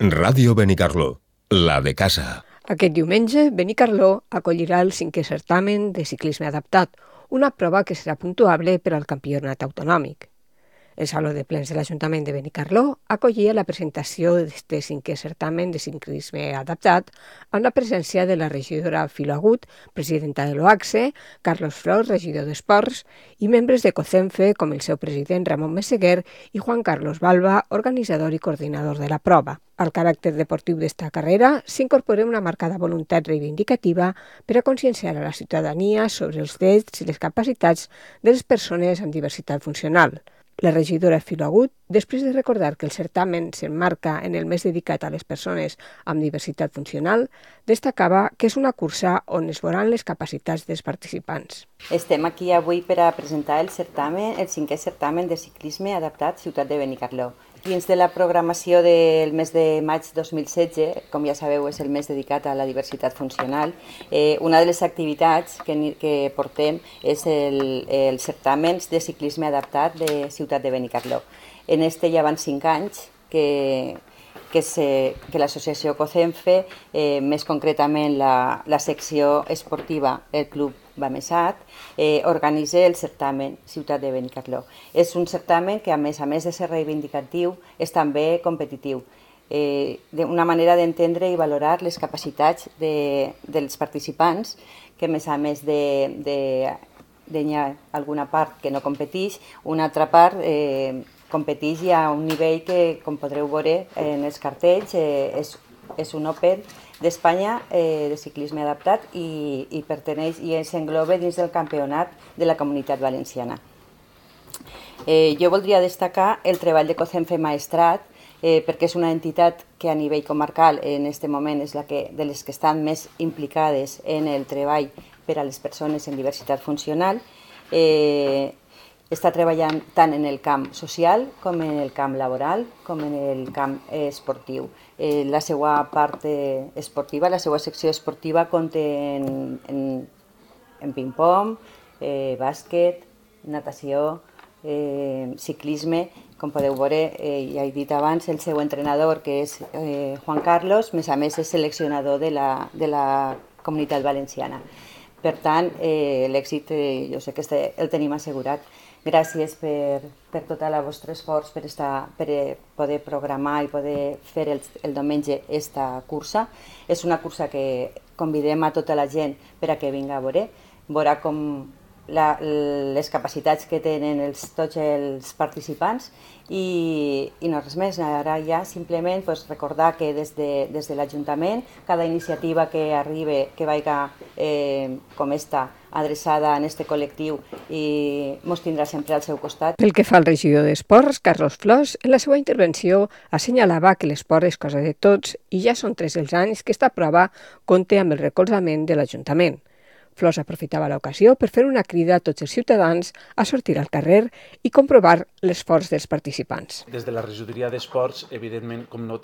Ràdio Benicarló, la de casa. Aquest diumenge, Benicarló acollirà el 5è certamen de ciclisme adaptat, una prova que serà puntuable per al campionat autonòmic. El Saló de Plens de l'Ajuntament de Benicarló acollia la presentació d'aquest 5è certamen de ciclisme adaptat amb la presència de la regidora Filo Agut, presidenta de l'OACSE, Carlos Flors, regidor d'Esports, i membres de COCENFE com el seu president Ramon Meseguer i Juan Carlos Balba, organitzador i coordinador de la prova. Al caràcter deportiu d'esta carrera s'incorpora una marcada voluntat reivindicativa per a conscienciar a la ciutadania sobre els drets i les capacitats de les persones amb diversitat funcional. La regidora Filo Agut, després de recordar que el certamen s'emmarca en el mes dedicat a les persones amb diversitat funcional, destacava que és una cursa on es veuran les capacitats dels participants. Estem aquí avui per a presentar el 5è certamen de ciclisme adaptat Ciutat de Benicarló. Dins de la programació del mes de maig 2016, com ja sabeu, és el mes dedicat a la diversitat funcional, una de les activitats que portem és el certamen de ciclisme adaptat de Ciutat de Benicarló. En este ja van 5 anys que l'associació COCENFE, més concretament la secció esportiva, el Club Bamesat, organitza el certamen Ciutat de Benicarló. És un certamen que, a més de ser reivindicatiu, és també competitiu. Una manera d'entendre i valorar les capacitats dels participants, que a més d'hi ha alguna part que no competeix, una altra part competeix i a un nivell que, com podreu veure en els cartells, és un Open d'Espanya de ciclisme adaptat i perteneix i s'engloba dins del campionat de la Comunitat Valenciana. Jo voldria destacar el treball de COCENFE Maestrat, perquè és una entitat que a nivell comarcal en aquest moment és de les que estan més implicades en el treball per a les persones amb diversitat funcional. Està treballant tant en el camp social com en el camp laboral com en el camp esportiu. La seva part esportiva, la seva secció esportiva compta en ping-pong, bàsquet, natació, ciclisme. Com podeu veure, ja he dit abans, el seu entrenador, que és Juan Carlos, a més és seleccionador de la Comunitat Valenciana. Per tant, l'èxit jo sé que el tenim assegurat. Gràcies per tot el vostre esforç per poder programar i poder fer el diumenge aquesta cursa. És una cursa que convidem a tota la gent per a que vinga a veure. Veurà com les capacitats que tenen tots els participants i no res més. Ara ja simplement recordar que des de l'Ajuntament cada iniciativa que arribi, que vagi com esta, adreçada a aquest col·lectiu i ens tindrà sempre al seu costat. Pel que fa al regidor d'Esports, Carlos Flors, en la seva intervenció assenyalava que l'esport és cosa de tots i ja són 3 els anys que esta prova compta amb el recolzament de l'Ajuntament. Flors aprofitava l'ocasió per fer una crida a tots els ciutadans a sortir al carrer i comprovar l'esforç dels participants. Des de la regidoria d'Esports, evidentment, com no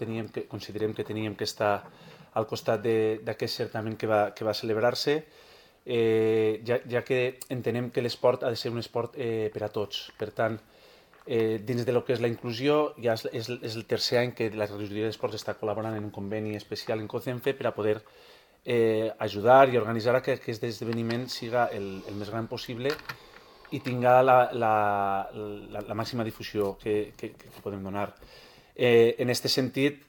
considerem que teníem que estar al costat d'aquest certamen que va celebrar-se, ja que entenem que l'esport ha de ser un esport per a tots. Per tant, dins de lo que és la inclusió, ja és el tercer any que la regidoria d'Esports està col·laborant en un conveni especial en COCENFE per a poder ajudar i organitzar que aquest esdeveniment siga el més gran possible i tinga la màxima difusió que podem donar. En aquest sentit,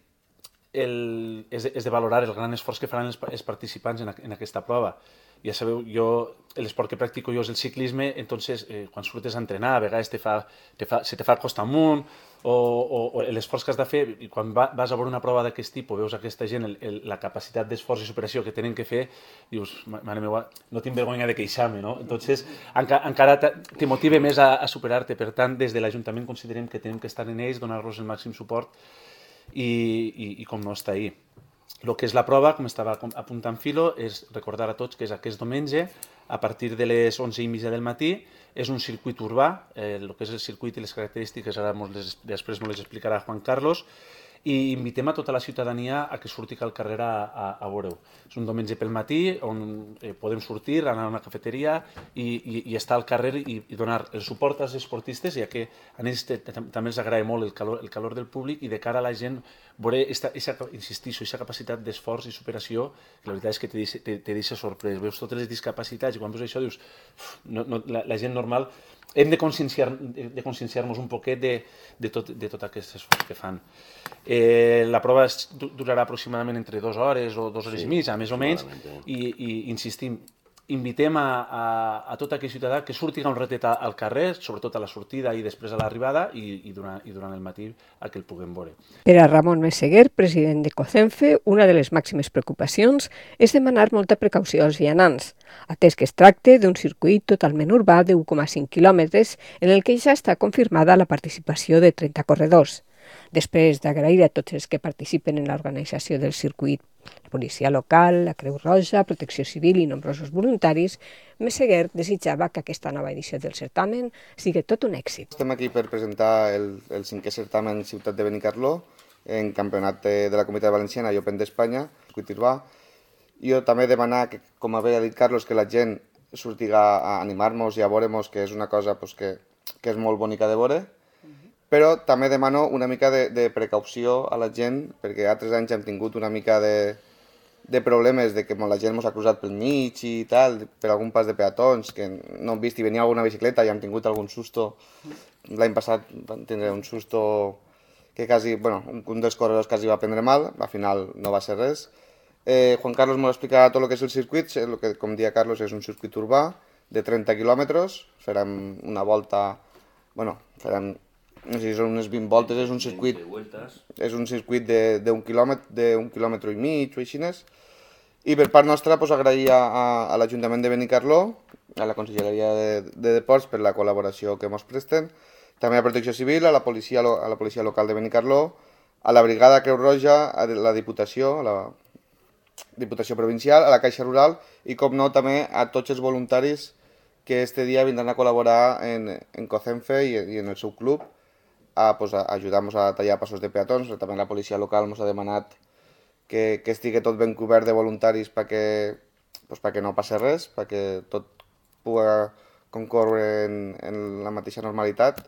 és de valorar el gran esforç que faran els participants en aquesta prova. Ja sabeu, l'esport que practico jo és el ciclisme, entonces quan surtes a entrenar a vegades se te fa costa amunt o l'esforç que has de fer, i quan vas a veure una prova d'aquest tipus, veus aquesta gent, la capacitat d'esforç i superació que tenen que fer, dius, mare meva, no tinc vergonya de queixar-me, no? Entonces encara te motiva més a superar-te. Per tant, des de l'Ajuntament considerem que tenim que estar en ells, donar-los el màxim suport i com no, està ahí. El que és la prova, com estava apuntant Filo, és recordar a tots que és aquest diumenge, a partir de les 11:30 del matí. És un circuit urbà, el que és el circuit i les característiques ara després ens les explicarà Juan Carlos. i invitem a tota la ciutadania a que surti al carrer a veure-ho. És un diumenge pel matí on podem sortir, anar a una cafeteria i estar al carrer i donar el suport als esportistes, ja que a ells també els agrada molt el calor del públic i de cara a la gent veure, insistixo, aquesta capacitat d'esforç i superació, que la veritat és que te deixa sorprès. Veus totes les discapacitats i quan veus això dius, la gent normal, hem de conscienciar-nos un poquet de tot aquest esforç que fan. La prova durarà aproximadament entre 2 hores o 2 hores i mitja, més o menys, i insistim, invitem a tot aquell ciutadà que surti un ratet al carrer, sobretot a la sortida i després a l'arribada i durant el matí a que el puguem veure. Per a Ramon Meseguer, president de COCENFE, una de les màximes preocupacions és demanar molta precaució als vianants, atès que es tracta d'un circuit totalment urbà de 1,5 quilòmetres en el que ja està confirmada la participació de 30 corredors. Després d'agrair a tots els que participen en l'organització del circuit, la policia local, la Creu Roja, Protecció Civil i nombrosos voluntaris, Meseguer desitjava que aquesta nova edició del certamen sigui tot un èxit. Estem aquí per presentar el 5è certamen Ciutat de Benicarló, en campionat de la Comunitat Valenciana i Open d'Espanya, circuit urbà. Jo també demanar, que, com havia dit Carlos, que la gent surtiga a animar-nos i a veure-nos, que és una cosa que és molt bonica de veure, però també demano una mica de precaució a la gent, perquè altres anys hem tingut una mica de problemes de que la gent ens ha cruzat pel mig i tal, per algun pas de peatons, que no hem vist i venia alguna bicicleta i hem tingut algun susto. L'any passat vam tindre un susto que quasi, un dels corredors quasi va prendre mal, al final no va ser res. Juan Carlos m'ho explicarà tot el que és el circuit, el que, com deia Carlos, és un circuit urbà de 30 quilòmetres, farem una volta, farem, no sé si són unes 20 voltes, és un circuit d'un quilòmetre i mig o així. I per part nostra agrair a l'Ajuntament de Benicarló, a la Conselleria de Deports per la col·laboració que ens presten, també a Protecció Civil, a la policia local de Benicarló, a la Brigada Creu Roja, a la Diputació, a la Diputació Provincial, a la Caixa Rural i, com no, també a tots els voluntaris que este dia vindran a col·laborar en COCENFE i en el seu club a ajudar-nos a tallar passos de peatons. També la policia local ens ha demanat que estigui tot ben cobert de voluntaris perquè no passi res, perquè tot pugui concórrer en la mateixa normalitat.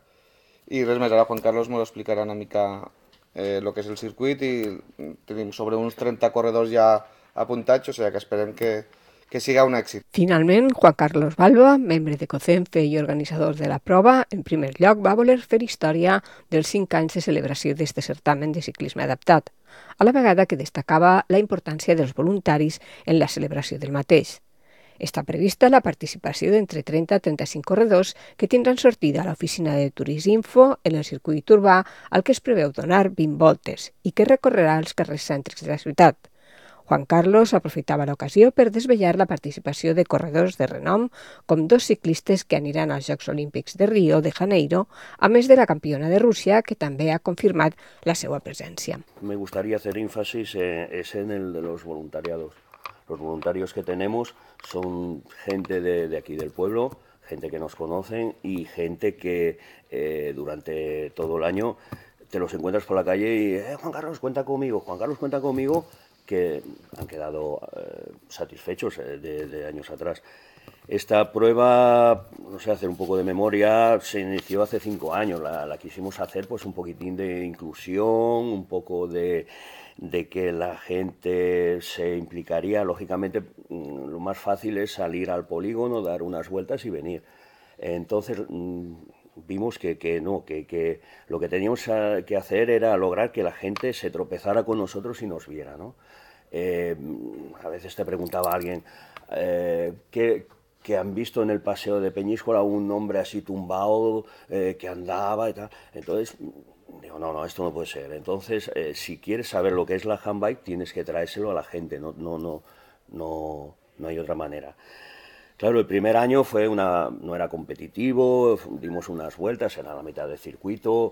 I res més, ara Juan Carlos ens explicarà una mica el que és el circuit i tenim sobre uns 30 corredors ja apuntats, o sigui que esperem que siga un èxit. Finalment, Juan Carlos Balba, membre de COCENFE i organitzador de la prova, en primer lloc va voler fer història dels 5 anys de celebració d'aquest certamen de ciclisme adaptat, a la vegada que destacava la importància dels voluntaris en la celebració del mateix. Està prevista la participació d'entre 30 a 35 corredors que tindran sortida a l'oficina de Turisminfo en el circuit urbà al que es preveu donar 20 voltes i que recorrerà els carrers cèntrics de la ciutat. Juan Carlos aprofitava l'ocasió per desvetllar la participació de corredors de renom, com 2 ciclistes que aniran als Jocs Olímpics de Rio de Janeiro, a més de la campiona de Rússia, que també ha confirmat la seva presència. Me gustaría hacer énfasis en el de los voluntariados. Los voluntarios que tenemos son gente de aquí del pueblo, gente que nos conocen y gente que durante todo el año te los encuentras por la calle y Juan Carlos, cuenta conmigo, Juan Carlos, cuenta conmigo, que han quedado satisfechos de años atrás. Esta prueba, no sé, hacer un poco de memoria, se inició hace 5 años, la quisimos hacer pues un poquitín de inclusión, un poco de que la gente se implicaría. Lógicamente lo más fácil es salir al polígono, dar unas vueltas y venir. Entonces vimos que lo que teníamos que hacer era lograr que la gente se tropezara con nosotros y nos viera, ¿no? A veces te preguntaba alguien que han visto en el paseo de Peñíscola un hombre así tumbado que andaba y tal. Entonces digo, no, esto no puede ser. Entonces, si quieres saber lo que es la handbike, tienes que traérselo a la gente, no hay otra manera. Claro, el primer año no era competitivo, dimos unas vueltas, era la mitad del circuito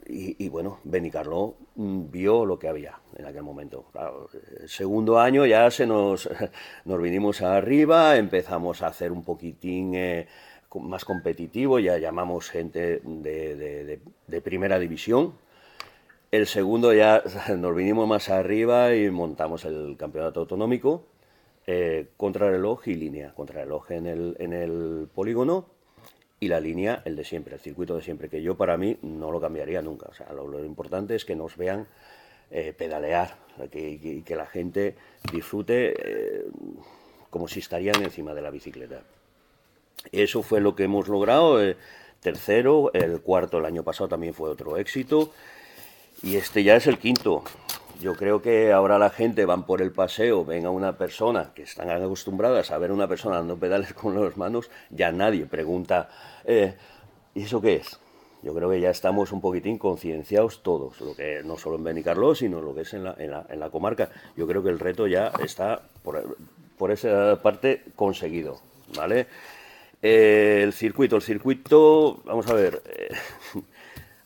y bueno, Benicarló vio lo que había en aquel momento. Claro, el segundo año ya nos vinimos arriba, empezamos a hacer un poquitín más competitivo, ya llamamos gente de primera división El segundo ya nos vinimos más arriba y montamos el campeonato autonómico, contrarreloj y línea. Contrarreloj en el polígono y la línea el de siempre, el circuito de siempre, que yo para mí no lo cambiaría nunca. O sea, lo importante es que nos vean pedalear, que la gente disfrute como si estarían encima de la bicicleta. Eso fue lo que hemos logrado, tercero, el cuarto el año pasado también fue otro éxito, y este ya es el quinto. Yo creo que ahora la gente van por el paseo, ven a una persona que están acostumbradas a ver a una persona dando pedales con las manos, ya nadie pregunta, ¿y eso qué es? Yo creo que ya estamos un poquitín concienciados todos, lo que no solo en Benicarló, sino lo que es en la comarca. Yo creo que el reto ya está por esa parte conseguido, ¿vale? El circuito, vamos a ver,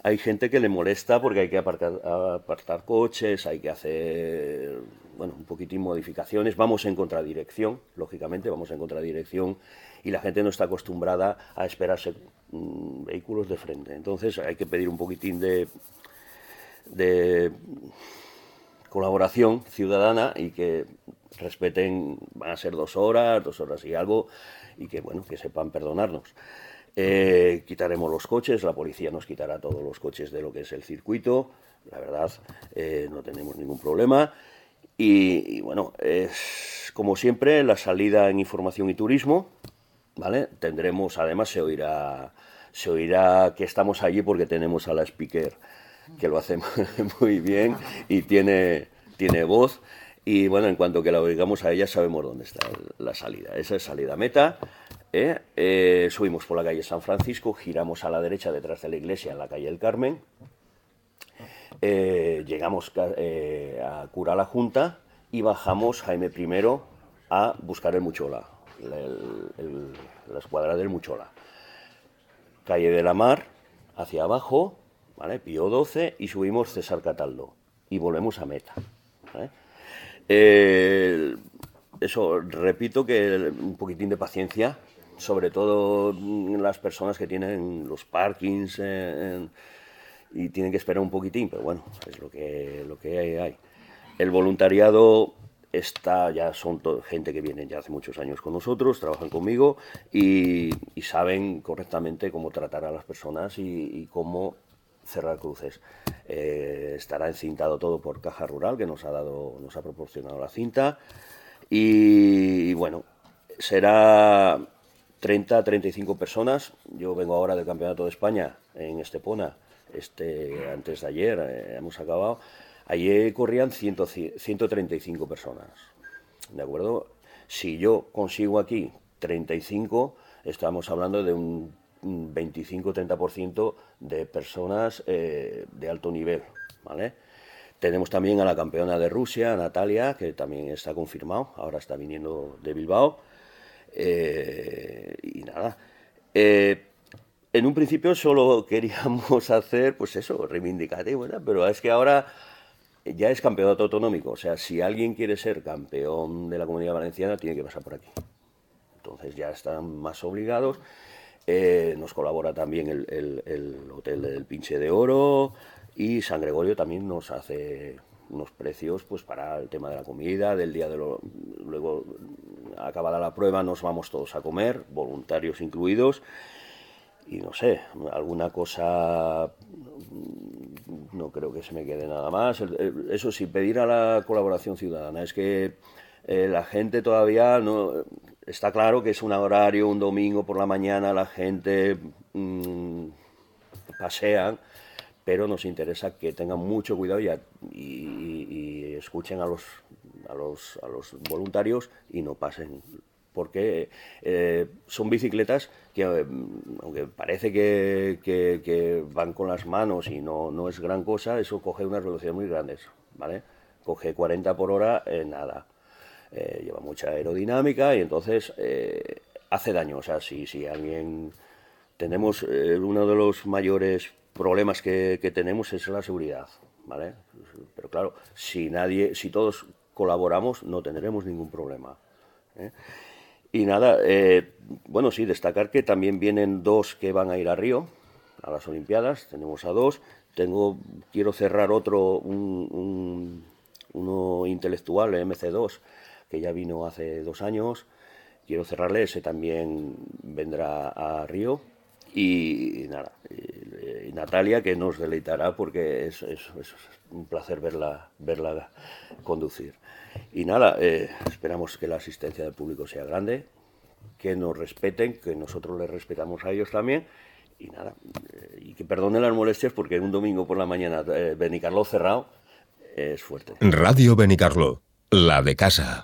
hay gente que le molesta porque hay que apartar coches, hay que hacer, bueno, un poquitín modificaciones, vamos en contradirección, lógicamente vamos en contradirección, y la gente no está acostumbrada a esperarse vehículos de frente. Entonces hay que pedir un poquitín de colaboración ciudadana y que respeten, van a ser 2 horas y algo, y que, bueno, que sepan perdonarnos. Quitaremos los coches, la policía nos quitará todos los coches de lo que es el circuito, la verdad, no tenemos ningún problema. Y bueno, es como siempre la salida en información y turismo, ¿vale? Tendremos, además se oirá que estamos allí porque tenemos a la speaker que lo hace muy bien y tiene voz. Y bueno, en cuanto que la oigamos a ella sabemos dónde está la salida. Esa es salida meta. Subimos por la calle San Francisco, giramos a la derecha detrás de la iglesia en la calle del Carmen. Llegamos a Cura la Junta y bajamos Jaime I a buscar el Muchola, la escuadra del Muchola. Calle de la Mar, hacia abajo, ¿vale? Pío XII, y subimos César Cataldo y volvemos a meta, ¿vale? Eso, repito que un poquitín de paciencia, sobre todo las personas que tienen los parkings y tienen que esperar un poquitín, pero bueno, es lo que hay. El voluntariado ya son gente que viene ya hace muchos años con nosotros, trabajan conmigo y saben correctamente cómo tratar a las personas y cómo cerrar cruces. Estará encintado todo por Caja Rural, que nos ha proporcionado la cinta, y bueno, será 30-35 personas. Yo vengo ahora del Campeonato de España en Estepona, antes de ayer hemos acabado. Ayer corrían 135 personas, ¿de acuerdo? Si yo consigo aquí 35, estamos hablando de un 25-30% de personas de alto nivel, ¿vale? Tenemos también a la campeona de Rusia, Natalia, que también está confirmado, ahora está viniendo de Bilbao. Y nada, en un principio solo queríamos hacer, pues eso, reivindicativo, ¿verdad? Pero es que ahora ya es campeonato autonómico, o sea, si alguien quiere ser campeón de la Comunidad Valenciana tiene que pasar por aquí. Entonces ya están más obligados. Nos colabora también el Hotel del Pinche de Oro, y San Gregorio también nos hace unos precios pues para el tema de la comida, del día luego acabada la prueba nos vamos todos a comer, voluntarios incluidos, y no sé, alguna cosa, no creo que se me quede nada más. Eso sí, pedir a la colaboración ciudadana. Es que la gente todavía no... Está claro que es un horario, un domingo por la mañana, la gente pasean, pero nos interesa que tengan mucho cuidado y escuchen a los voluntarios y no pasen, porque son bicicletas que, aunque parece que van con las manos y no es gran cosa, eso coge unas velocidades muy grandes, ¿vale? Coge 40 por hora en nada. Lleva mucha aerodinámica y entonces hace daño. O sea, si alguien... Tenemos uno de los mayores problemas que tenemos es la seguridad, ¿vale? Pero claro, si todos colaboramos no tendremos ningún problema, ¿eh? Y nada, bueno, sí, destacar que también vienen 2 que van a ir a Río, a las Olimpiadas. Tenemos a 2, quiero cerrar uno intelectual, el MC2, que ya vino hace 2 años. Quiero cerrarle, ese también vendrá a Río. Y nada, y Natalia, que nos deleitará porque es un placer verla conducir. Y nada, esperamos que la asistencia del público sea grande, que nos respeten, que nosotros les respetamos a ellos también. Y nada, y que perdonen las molestias porque un domingo por la mañana Benicarló cerrado es fuerte. Radio Benicarló, la de casa.